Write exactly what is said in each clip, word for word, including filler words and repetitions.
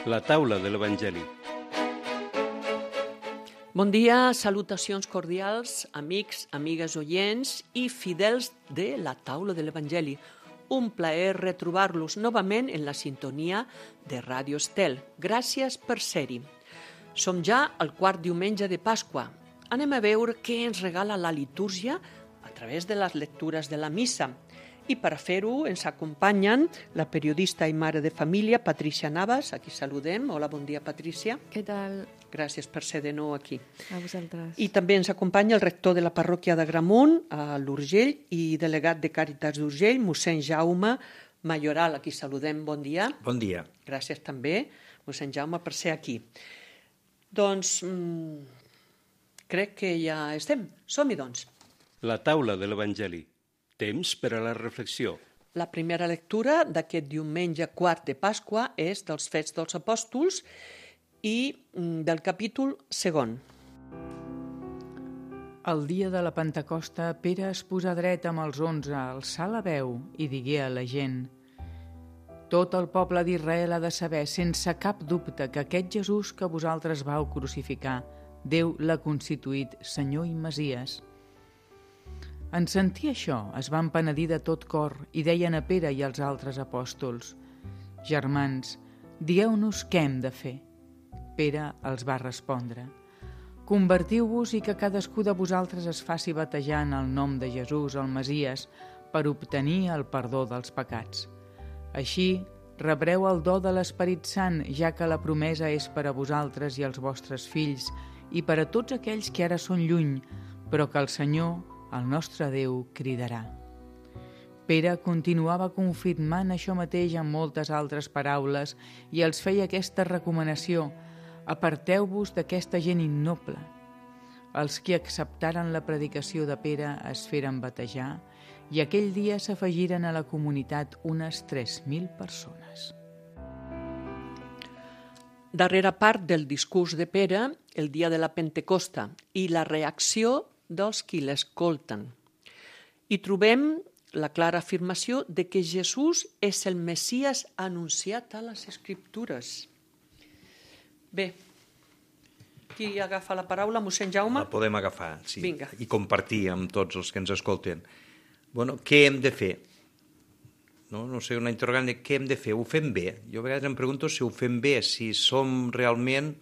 La taula de l'Evangeli. Bon dia, salutacions cordials, amics, amigues oients i fidels de la taula de l'Evangeli. Un plaer retrobar-los novament en la sintonia de Ràdio Estel. Gràcies per ser-hi. Som ja al quart diumenge de Pasqua. Anem a veure què ens regala la litúrgia a través de les lectures de la missa. I per fer-ho ens acompanyen la periodista i mare de família Patrícia Navas, a qui saludem. Hola, bon dia, Patrícia. Què tal? Gràcies per ser de nou aquí. A vosaltres. I també ens acompanya el rector de la parròquia d'Agramunt, a l'Urgell, i delegat de Càritas d'Urgell, mossèn Jaume Mayoral, a qui saludem. Bon dia. Bon dia. Gràcies també, mossèn Jaume, per ser aquí. Doncs mmm, crec que ja estem. Som-hi, doncs. La taula de l'Evangeli. Temps per a la reflexió. La primera lectura d'aquest diumenge quart de Pasqua és dels Fets dels Apòstols i del capítol segon. El dia de la Pentecosta, Pere es posà dret amb els onze, alçà la veu i digué a la gent: «Tot el poble d'Israel ha de saber, sense cap dubte, que aquest Jesús que vosaltres vau crucificar, Déu l'ha constituït Senyor i Messies». En sentir això, es van penedir de tot cor i deien a Pere i als altres apòstols: «Germans, digueu-nos què hem de fer». Pere els va respondre: «Convertiu-vos i que cadascú de vosaltres es faci batejar en el nom de Jesús, el Messies, per obtenir el perdó dels pecats. Així rebreu el do de l'Esperit Sant, ja que la promesa és per a vosaltres i els vostres fills i per a tots aquells que ara són lluny, però que el Senyor, el nostre Déu, cridarà». Pere continuava confirmant això mateix amb moltes altres paraules i els feia aquesta recomanació: «Aparteu-vos d'aquesta gent innoble». Els que acceptaren la predicació de Pere es feren batejar i aquell dia s'afegiren a la comunitat unes tres mil persones. Darrera part del discurs de Pere, el dia de la Pentecosta, i la reacció dels qui l'escolten. I trobem la clara afirmació de que Jesús és el Messies anunciat a les Escriptures. Bé, qui agafa la paraula? Mossèn Jaume? La podem agafar, sí, Vinga. I compartir amb tots els que ens escolten. Bueno, què hem de fer? No, no sé, una interrogant de què hem de fer. Ho fem bé? Jo a vegades em pregunto si ho fem bé, si som realment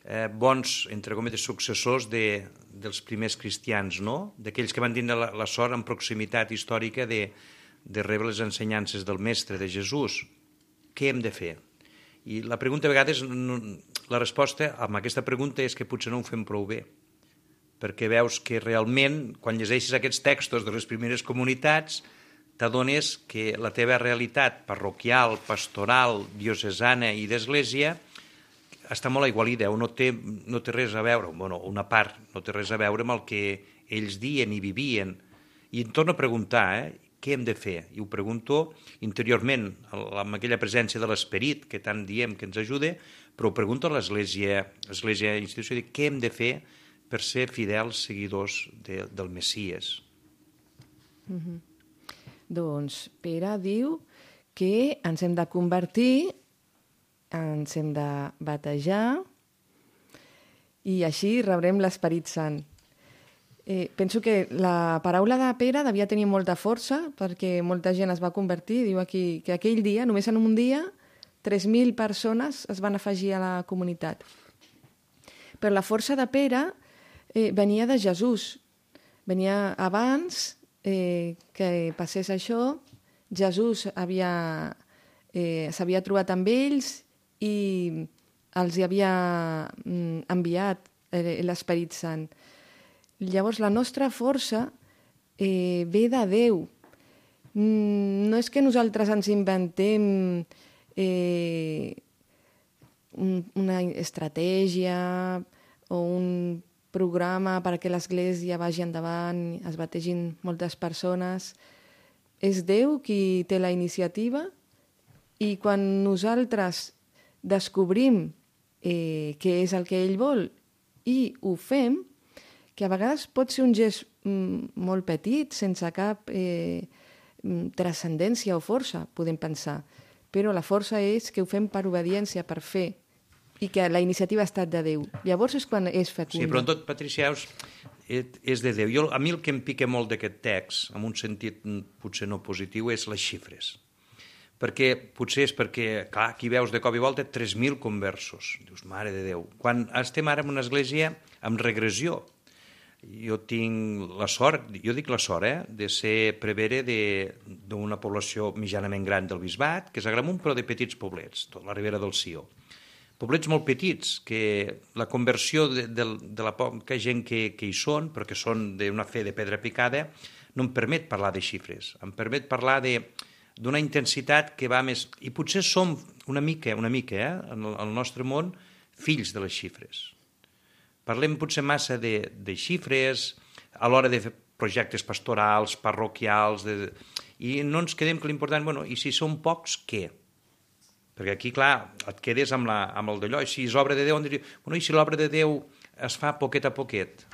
eh, bons, entre cometes, successors de, dels primers cristians, no? D'aquells que van tindre la, la sort en proximitat històrica de, de rebre les ensenyances del Mestre, de Jesús. Què hem de fer? I la pregunta a vegades, la resposta amb aquesta pregunta és que potser no ho fem prou bé, perquè veus que realment, quan llegeixes aquests textos de les primeres comunitats, t'adones que la teva realitat parroquial, pastoral, diocesana i d'església està molt aigualida, o no té, no té res a veure, bueno, una part no té res a veure amb el que ells diuen i vivien. I em torno a preguntar, eh, què hem de fer? I ho pregunto interiorment, amb aquella presència de l'esperit que tant diem que ens ajuda, però ho pregunto a l'església, l'església institució, de què hem de fer per ser fidels seguidors de, del Messies. Mm-hmm. Doncs Pere diu que ens hem de convertir, ens hem de batejar i així rebrem l'Esperit Sant. Eh, penso que la paraula de Pere devia tenir molta força perquè molta gent es va convertir. Diu aquí que aquell dia, només en un dia, tres mil persones es van afegir a la comunitat. Però la força de Pere eh, venia de Jesús. Venia abans eh, que passés això. Jesús havia, eh, s'havia trobat amb ells i els hi havia mm, enviat eh, l'Esperit Sant. Llavors, la nostra força eh, ve de Déu. Mm, no és que nosaltres ens inventem eh, un, una estratègia o un programa perquè l'Església vagi endavant, es bategin moltes persones. És Déu qui té la iniciativa i quan nosaltres descobrim eh, què és el que ell vol i ho fem, que a vegades pot ser un gest mm, molt petit, sense cap eh, transcendència o força, podem pensar. però la força és que ho fem per obediència, per fer, i que la iniciativa ha estat de Déu. Llavors és quan és fecunda. Sí, però tot, Patricia, és de Déu. Jo, a mi el que em pica molt d'aquest text, en un sentit potser no positiu, és les xifres. Perquè potser és perquè, clar, aquí veus de cop i volta tres mil conversos. Dius, mare de Déu. Quan estem ara en una església amb regressió, jo tinc la sort, jo dic la sort, eh, de ser prevere d'una població mitjanament gran del Bisbat, que és Agramunt, però de petits poblets, tot la Ribera del Sió. Poblets molt petits, que la conversió de, de, de la poca gent que, que hi són, però que són d'una fe de pedra picada, no em permet parlar de xifres, em permet parlar de d'una intensitat que va més... I potser som una mica, una mica, eh, en el, el nostre món, fills de les xifres. Parlem potser massa de, de xifres a l'hora de fer projectes pastorals, parroquials, de, i no ens quedem que l'important, bueno, i si són pocs, què? Perquè aquí, clar, et quedes amb, la, amb el d'allò, i si és obra de Déu, on diria, bueno, i si l'obra de Déu es fa poquet a poquet?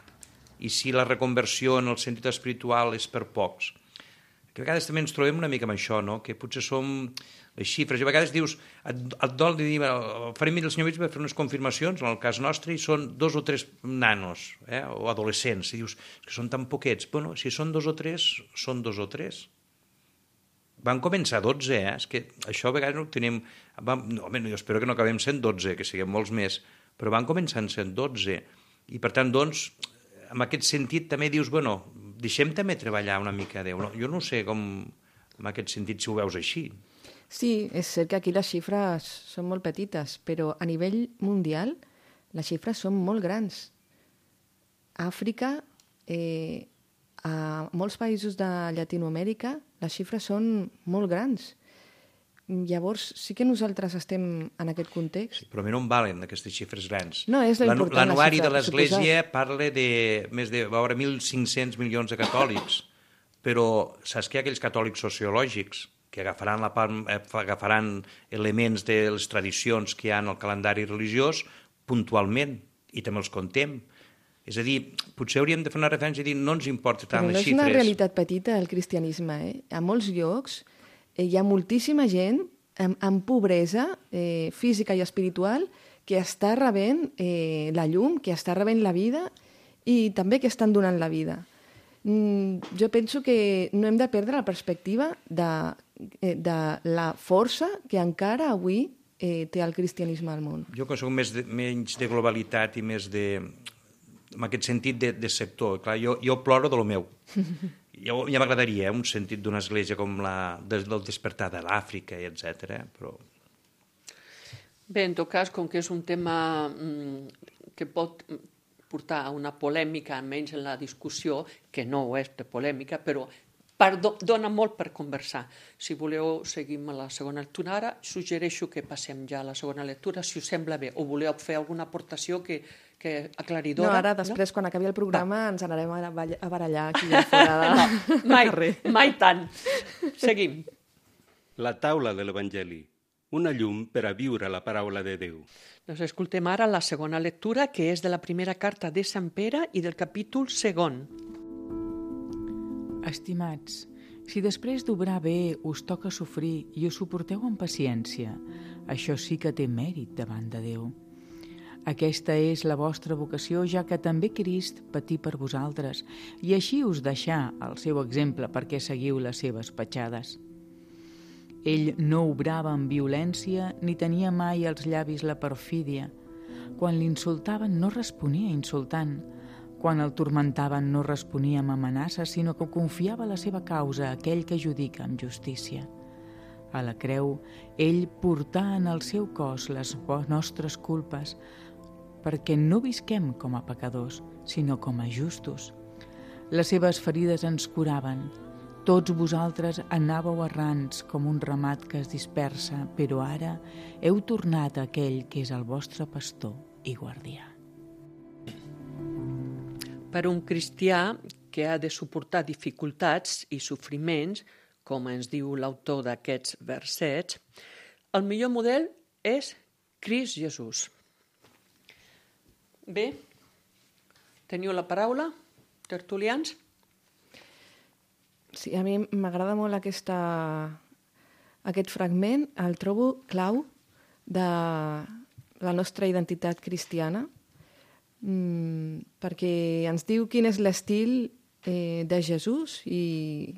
I si la reconversió en el sentit espiritual és per pocs? Que a vegades també ens trobem una mica amb això, no? Que potser som les xifres. I a vegades dius, et, et dol de dir, farem el senyor Mig per fer unes confirmacions, en el cas nostre, i són dos o tres nanos, eh? O adolescents, i dius que són tan poquets. Bueno, si són dos o tres, són dos o tres. Van començar dotze, eh? És que això a vegades no ho tenim... Vam... No, home, jo espero que no acabem sent dotze, que siguem molts més, però van començar sent dotze. I per tant, doncs, en aquest sentit també dius, bueno, deixem també treballar una mica a Déu. No? Jo no sé com, en aquest sentit, si ho veus així. Sí, és cert que aquí les xifres són molt petites, però a nivell mundial les xifres són molt grans. A Àfrica, eh, a molts països de Llatinoamèrica, les xifres són molt grans. Llavors, sí que nosaltres estem en aquest context. Sí, però a mi no em valen aquestes xifres grans. No, és la important. L'anuari de l'Església parla de més de veure, mil cinc-cents milions de catòlics, però saps que hi ha aquells catòlics sociològics que agafaran, la part, agafaran elements de les tradicions que hi ha en el calendari religiós puntualment, i també els contem. És a dir, potser hauríem de fer una referència i dir no ens importa tant les xifres. Però no és una realitat petita el cristianisme. Eh? A molts llocs eh, hi ha moltíssima gent amb, amb pobresa eh, física i espiritual que està rebent eh, la llum, que està rebent la vida i també que estan donant la vida. Mm, jo penso que no hem de perdre la perspectiva de, eh, de la força que encara avui eh, té el cristianisme al món. Jo que soc més de, menys de globalitat i més de... en aquest sentit de, de sector. Clar, jo, jo ploro de lo meu. Jo, ja m'agradaria eh, un sentit d'una església com la del, del despertar de l'Àfrica, etcètera. Però... Bé, en tot cas, com que és un tema mm, que pot portar a una polèmica, almenys en la discussió, que no ho és de polèmica, però per, dona molt per conversar. Si voleu, seguim a la segona lectura. Ara suggereixo que passem ja a la segona lectura, si us sembla bé, o voleu fer alguna aportació que, que aclaridora. No, ara, després, no? Quan acabi el programa, Va. ens anarem a barallar aquí a fora de... No, mai, mai tant. Seguim. La taula de l'Evangeli. Una llum per a viure la paraula de Déu. Doncs escoltem ara la segona lectura, que és de la primera carta de Sant Pere i del capítol segon. Estimats, si després d'obrar bé us toca sofrir i us suporteu amb paciència, això sí que té mèrit davant de Déu. Aquesta és la vostra vocació, ja que també Crist patí per vosaltres, i així us deixà el seu exemple perquè seguiu les seves petjades. Ell no obrava amb violència ni tenia mai als llavis la perfídia. Quan l'insultaven no responia insultant. Quan el turmentaven no responia amb amenaces, sinó que confiava la seva causa a aquell que judica amb justícia. A la creu, ell portà en el seu cos les nostres culpes, perquè no visquem com a pecadors, sinó com a justos. Les seves ferides ens curaven. Tots vosaltres anàveu errants com un ramat que es dispersa, però ara heu tornat a aquell que és el vostre pastor i guardià. Per un cristià que ha de suportar dificultats i sofriments, com ens diu l'autor d'aquests versets, el millor model és Crist Jesús. Bé, teniu la paraula, tertulians? Sí, a mi m'agrada molt aquesta, aquest fragment el trobo clau de la nostra identitat cristiana, mm, perquè ens diu quin és l'estil eh, de Jesús i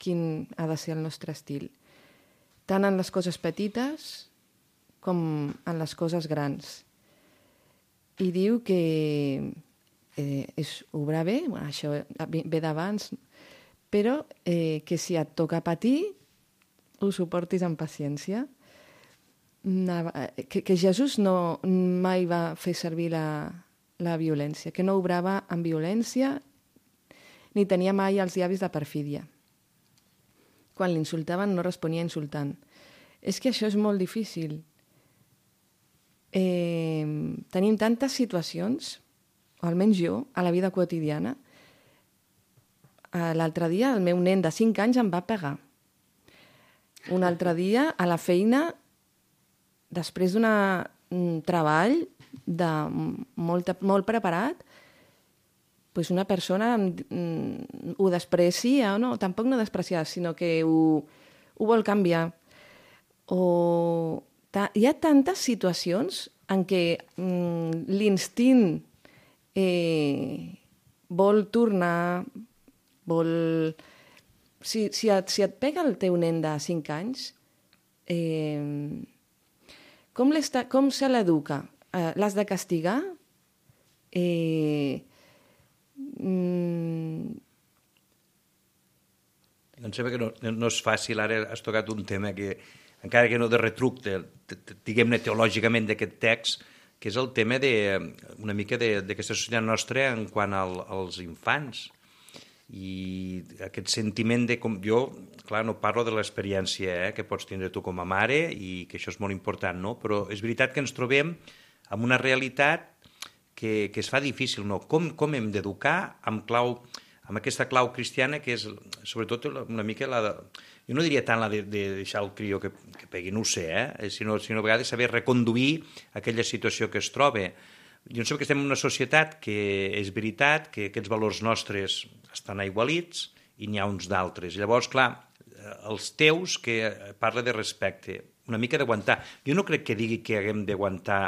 quin ha de ser el nostre estil, tant en les coses petites com en les coses grans. I diu que eh, és obrar bé, bueno, això ve d'abans, però eh, que si et toca patir, ho suportis amb paciència. Que, que Jesús no mai va fer servir la, la violència, que no obrava amb violència ni tenia mai els llavis de perfídia. Quan l'insultaven no responia insultant. És que això és molt difícil. Eh, tenim tantes situacions, o almenys jo, a la vida quotidiana. L'altre dia el meu nen de cinc anys em va pegar. Un altre dia a la feina, després d'un treball de molt, molt preparat, pues una persona mm, ho desprecia, no, tampoc no despreciar, sinó que ho, ho vol canviar. O ta, hi ha tantes situacions en què mm, l'instint eh, vol tornar, vol... Si, si, et, si et pega el teu nen de cinc anys, eh, com, com se l'educa? Eh, L'has de castigar? Eh, mm... Em sembla que no, no és fàcil. Ara has tocat un tema que, encara que no de retruc, de, de, de, diguem-ne teològicament d'aquest text, que és el tema de, una mica d'aquesta societat nostra en quant al, als infants. I aquest sentiment de... Com, jo, clar, no parlo de l'experiència eh, que pots tindre tu com a mare i que això és molt important, no? Però és veritat que ens trobem amb una realitat que, que es fa difícil, no? Com, com hem d'educar amb clau, amb aquesta clau cristiana que és, sobretot, una mica la de... Jo no diria tant la de, de deixar el crió que, que pegui, no ho sé, eh? sinó, sinó a vegades saber reconduir aquella situació que es troba. Jo em sembla que estem en una societat que és veritat que aquests valors nostres estan aigualits i n'hi ha uns d'altres. Llavors, clar, els teus que parla de respecte, una mica d'aguantar. Jo no crec que digui que haguem d'aguantar,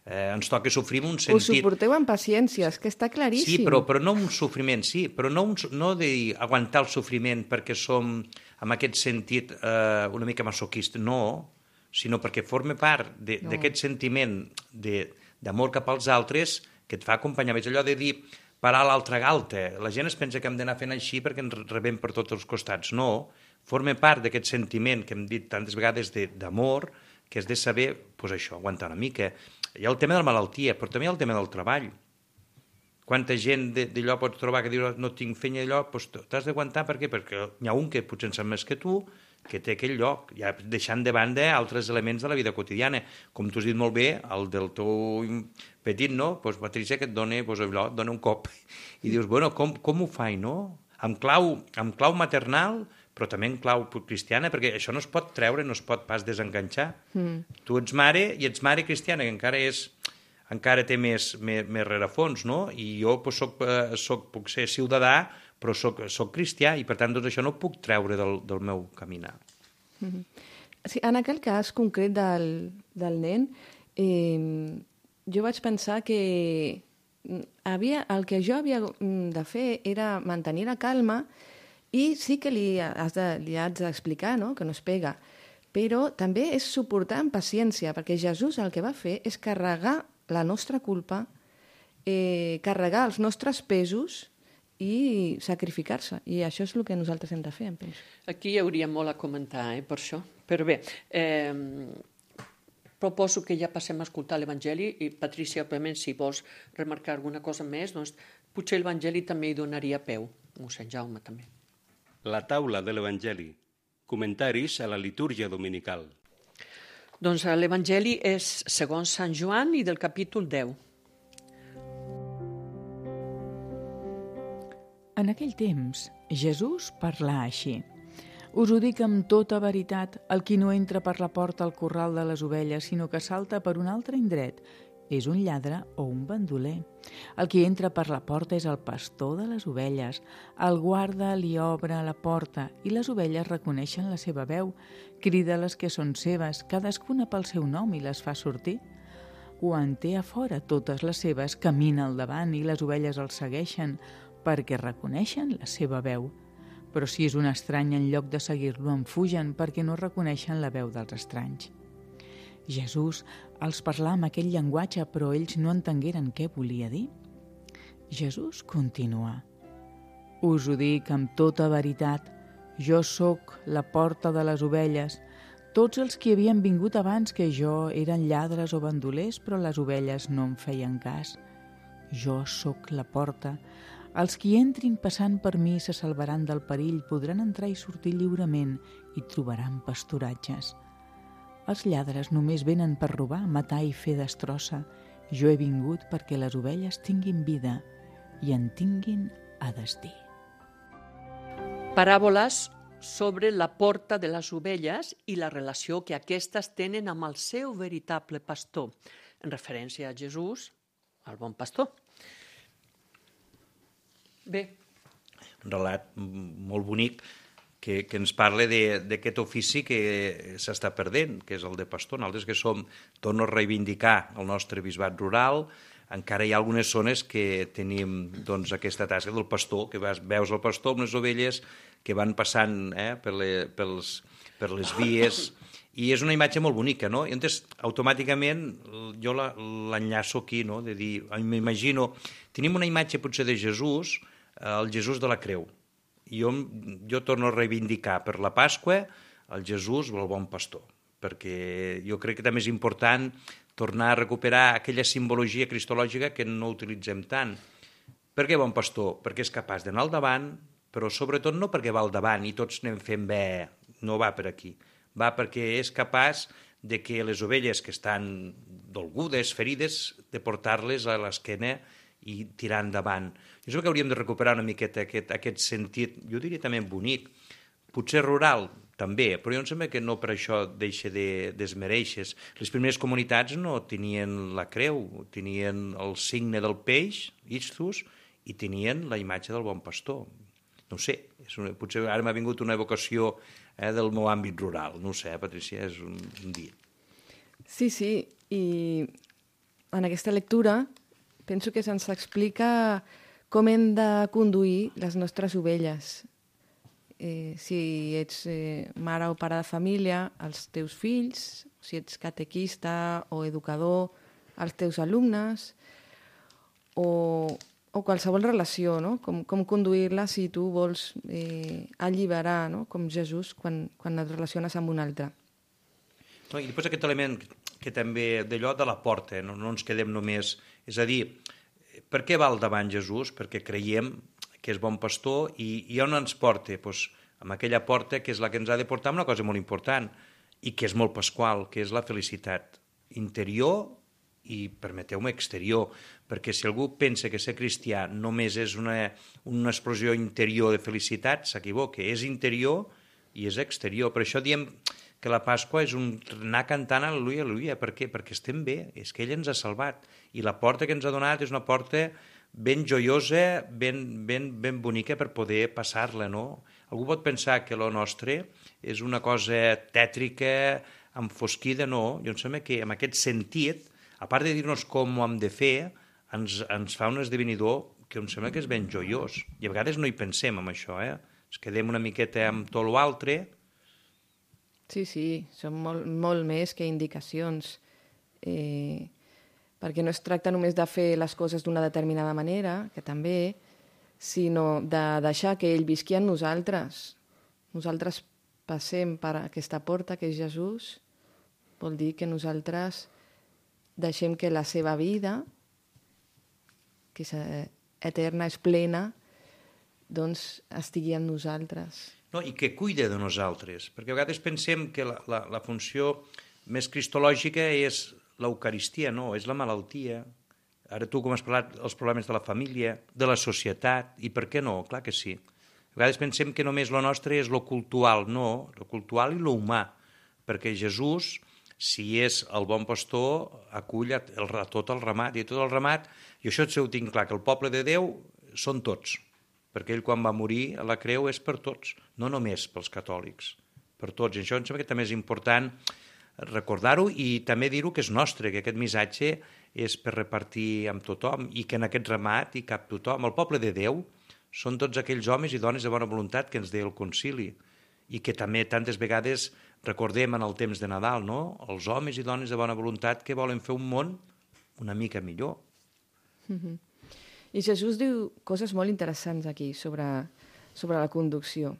eh, ens toca sofrir en un sentit... Ho suporteu amb paciència, és que està claríssim. Sí, però, però no un sofriment, sí, però no, un, no de dir aguantar el sofriment perquè som, en aquest sentit, eh, una mica masoquista, no, sinó perquè forma part d'aquest no. sentiment de... d'amor cap als altres, que et fa acompanyar. És allò de dir, parar l'altra galta. La gent es pensa que hem d'anar fent així perquè ens rebem per tots els costats. No, forma part d'aquest sentiment que hem dit tantes vegades d'amor, que és de saber, doncs això, aguantar una mica. Hi ha el tema de la malaltia, però també hi ha el tema del treball. Quanta gent d'allò pots trobar que diu no tinc feina d'allò, doncs t'has d'aguantar, per què? Perquè hi ha un que potser en sap més que tu, que té aquell lloc, ja deixant de banda altres elements de la vida quotidiana. Com tu has dit molt bé, el del teu petit, no? Doncs Patricia, que et dona, doncs, allò, et dona un cop. I dius, bueno, com, com ho faig, no? Amb clau, amb clau maternal, però també en clau cristiana, perquè això no es pot treure, no es pot pas desenganxar. Mm. Tu ets mare i ets mare cristiana, que encara és... encara té més, més, més rerefons, no? I jo doncs, soc, eh, soc, puc ser ciutadà, però soc, soc cristià i, per tant, doncs, això no ho puc treure del, del meu caminar. Mm-hmm. Sí, en aquell cas concret del, del nen, eh, jo vaig pensar que havia, el que jo havia de fer era mantenir la calma i sí que li, has de, li has d'explicar, no?, que no es pega, però també és suportar amb paciència, perquè Jesús el que va fer és carregar la nostra culpa, eh, carregar els nostres pesos i sacrificar-se. I això és el que nosaltres hem de fer, em penso. Aquí hi hauria molt a comentar, eh, per això. Però bé, eh, proposo que ja passem a escoltar l'Evangeli i, Patricia, òbviament, si vols remarcar alguna cosa més, doncs potser l'Evangeli també hi donaria peu. Mossèn Jaume, també. La taula de l'Evangeli. Comentaris a la litúrgia dominical. Doncs l'Evangeli és segons Sant Joan i del capítol deu. En aquell temps, Jesús parlà així. Us ho dic amb tota veritat, el qui no entra per la porta al corral de les ovelles, sinó que salta per un altre indret és un lladre o un bandoler. El qui entra per la porta és el pastor de les ovelles. El guarda li obre la porta i les ovelles reconeixen la seva veu. Crida les que són seves, cadascuna pel seu nom i les fa sortir. Quan té a fora totes les seves, camina al davant i les ovelles el segueixen perquè reconeixen la seva veu. Però si és un estrany, en lloc de seguir-lo, en fugen perquè no reconeixen la veu dels estranys. Jesús els parlà amb aquell llenguatge, però ells no entengueren què volia dir. Jesús continua: «Us ho dic amb tota veritat, jo sóc la porta de les ovelles. Tots els que havien vingut abans que jo eren lladres o bandolers, però les ovelles no em feien cas. Jo sóc la porta. Els qui entrin passant per mi se salvaran del perill, podran entrar i sortir lliurement i trobaran pasturatges. Els lladres només venen per robar, matar i fer destrossa. Jo he vingut perquè les ovelles tinguin vida i en tinguin a destí». Paràboles sobre la porta de les ovelles i la relació que aquestes tenen amb el seu veritable pastor, en referència a Jesús, el bon pastor. Bé. Un relat molt bonic que, que ens parla d'aquest ofici que s'està perdent, que és el de pastor. Nosaltres que som, torno a reivindicar el nostre bisbat rural, encara hi ha algunes zones que tenim doncs, aquesta tasca del pastor, que vas, veus el pastor amb les ovelles que van passant eh, per, le, pels, per les vies, i és una imatge molt bonica, no? I llavors, automàticament, jo l'enllaço aquí, no? De dir, m'imagino, tenim una imatge potser de Jesús, el Jesús de la creu. Jo, jo torno a reivindicar per la Pasqua el Jesús el bon pastor, perquè jo crec que també és important tornar a recuperar aquella simbologia cristològica que no utilitzem tant. Per què bon pastor? Perquè és capaç d'anar al davant, però sobretot no perquè va al davant i tots anem fent bé, no va per aquí. Va perquè és capaç de que les ovelles que estan dolgudes, ferides, de portar-les a l'esquena i tirar endavant. Jo crec que hauríem de recuperar una miqueta aquest, aquest sentit, jo diria també bonic, potser rural també, però jo em sembla que no per això deixa de desmereixes. Les primeres comunitats no tenien la creu, tenien el signe del peix, Istus, i tenien la imatge del bon pastor. No ho sé, és una, potser ara m'ha vingut una evocació eh, del meu àmbit rural. No ho sé, Patricia, és un, un dia. Sí, sí, i en aquesta lectura penso que se'ns explica com hem de conduir les nostres ovelles. Eh, si ets eh, mare o pare de família, els teus fills, si ets catequista o educador, els teus alumnes, o, o qualsevol relació, no? Com, com conduir-la si tu vols eh, alliberar, no? Com Jesús quan, quan et relaciones amb un altre. No, I després aquest element que també d'allò de la porta, no, no ens quedem només... És a dir, per què va al davant Jesús? Perquè creiem que és bon pastor i, i on ens porta? Pues, amb aquella porta que és la que ens ha de portar una cosa molt important i que és molt pasqual, que és la felicitat interior i, permeteu-me, exterior, perquè si algú pensa que ser cristià només és una, una explosió interior de felicitat, s'equivoca, és interior i és exterior. Per això diem que la Pasqua és un anar cantant al·leluia, al·leluia. Per què? Perquè estem bé, és que ell ens ha salvat. I la porta que ens ha donat és una porta ben joiosa, ben, ben, ben bonica per poder passar-la, no? Algú pot pensar que lo nostre és una cosa tètrica, enfosquida, no. Jo em sembla que en aquest sentit, a part de dir-nos com ho hem de fer, ens, ens fa un esdevenidor que em sembla que és ben joiós. I a vegades no hi pensem en això, eh? Ens quedem una miqueta amb tot l'altre. Sí, sí, són molt, molt més que indicacions, eh, perquè no es tracta només de fer les coses d'una determinada manera, que també, sinó de deixar que ell visqui en nosaltres. Nosaltres passem per aquesta porta que és Jesús, vol dir que nosaltres deixem que la seva vida, que és eterna, és plena, doncs estigui en nosaltres. No, i que cuida de nosaltres, perquè a vegades pensem que la, la, la funció més cristològica és l'Eucaristia, no, és la malaltia. Ara tu, com has parlat, els problemes de la família, de la societat, i per què no? Clar que sí. A vegades pensem que només lo nostre és lo cultual, no, lo cultual i lo humà, perquè Jesús Si és el bon pastor, acull a, el, a tot el ramat, i tot el ramat, i això ho tinc clar, que el poble de Déu són tots, perquè ell quan va morir a la creu és per tots, no només pels catòlics, per tots. I això em sembla que també és important recordar-ho i també dir-ho que és nostre, que aquest missatge és per repartir amb tothom i que en aquest ramat hi cap tothom. El poble de Déu són tots aquells homes i dones de bona voluntat que ens deia el concili i que també tantes vegades recordem en el temps de Nadal, no? Els homes i dones de bona voluntat que volen fer un món una mica millor. Mm-hmm. I Jesús diu coses molt interessants aquí sobre, sobre la conducció.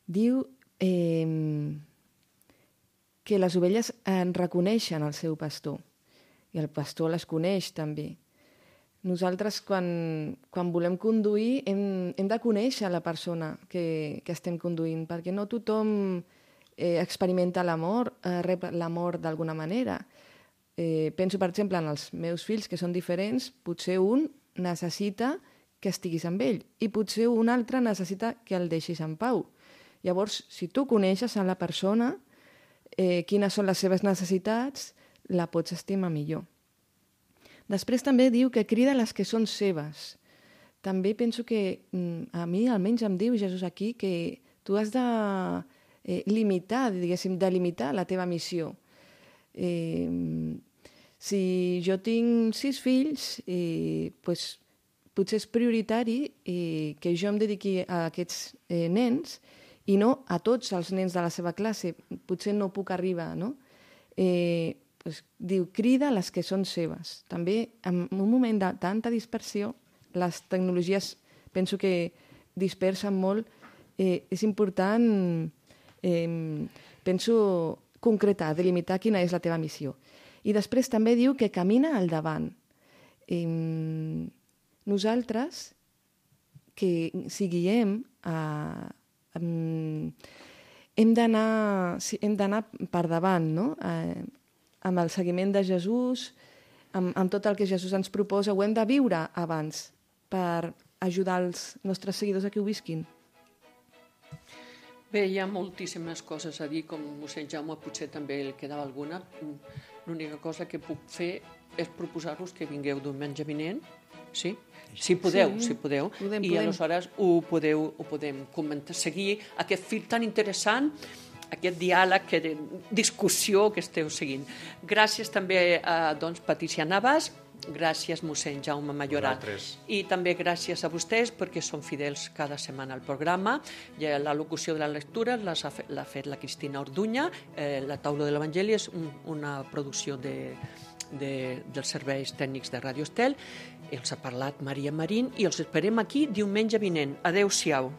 Diu eh, que les ovelles en reconeixen el seu pastor i el pastor les coneix també. Nosaltres, quan, quan volem conduir, hem, hem de conèixer la persona que, que estem conduint, perquè no tothom eh, experimenta l'amor, eh, rep l'amor d'alguna manera. Eh, penso, per exemple, en els meus fills, que són diferents, potser un necessita que estiguis amb ell i potser un altre necessita que el deixis en pau. Llavors, si tu coneixes a la persona, eh, quines són les seves necessitats, la pots estimar millor. Després també diu que crida les que són seves. També penso que a mi almenys em diu Jesús aquí que tu has de eh, limitar, diguéssim, delimitar la teva missió. Eh, si jo tinc sis fills, eh, pues, potser és prioritari eh, que jo em dediqui a aquests eh, nens i no a tots els nens de la seva classe. Potser no puc arribar, no? Eh, pues, diu, crida les que són seves. També, en un moment de tanta dispersió, les tecnologies penso que dispersen molt, eh, és important, eh, penso, concretar, delimitar quina és la teva missió. I després també diu que camina al davant. Eh, nosaltres, que si guiem, eh, hem d'anar hem d'anar per davant, no? Eh, amb el seguiment de Jesús, amb, amb tot el que Jesús ens proposa, ho hem de viure abans per ajudar els nostres seguidors a que ho visquin. Bé, hi ha moltíssimes coses a dir, com mossèn Jaume potser també el quedava alguna. L'única cosa que puc fer és proposar-vos que vingueu diumenge vinent, sí? Si podeu, sí, si podeu, podem, i podem. aleshores ho podeu, ho podem comentar, seguir aquest fil tan interessant, aquest diàleg, aquesta discussió que esteu seguint. Gràcies també a doncs, Patricia Navas, gràcies mossèn Jaume Majoral i també gràcies a vostès perquè són fidels cada setmana al programa. La locució de la lectura l'ha fet la Cristina Orduña, eh, la taula de l'Evangeli és un, una producció de, de, dels serveis tècnics de Radio Estel. Els ha parlat Maria Marín i els esperem aquí diumenge vinent. Adéu-siau.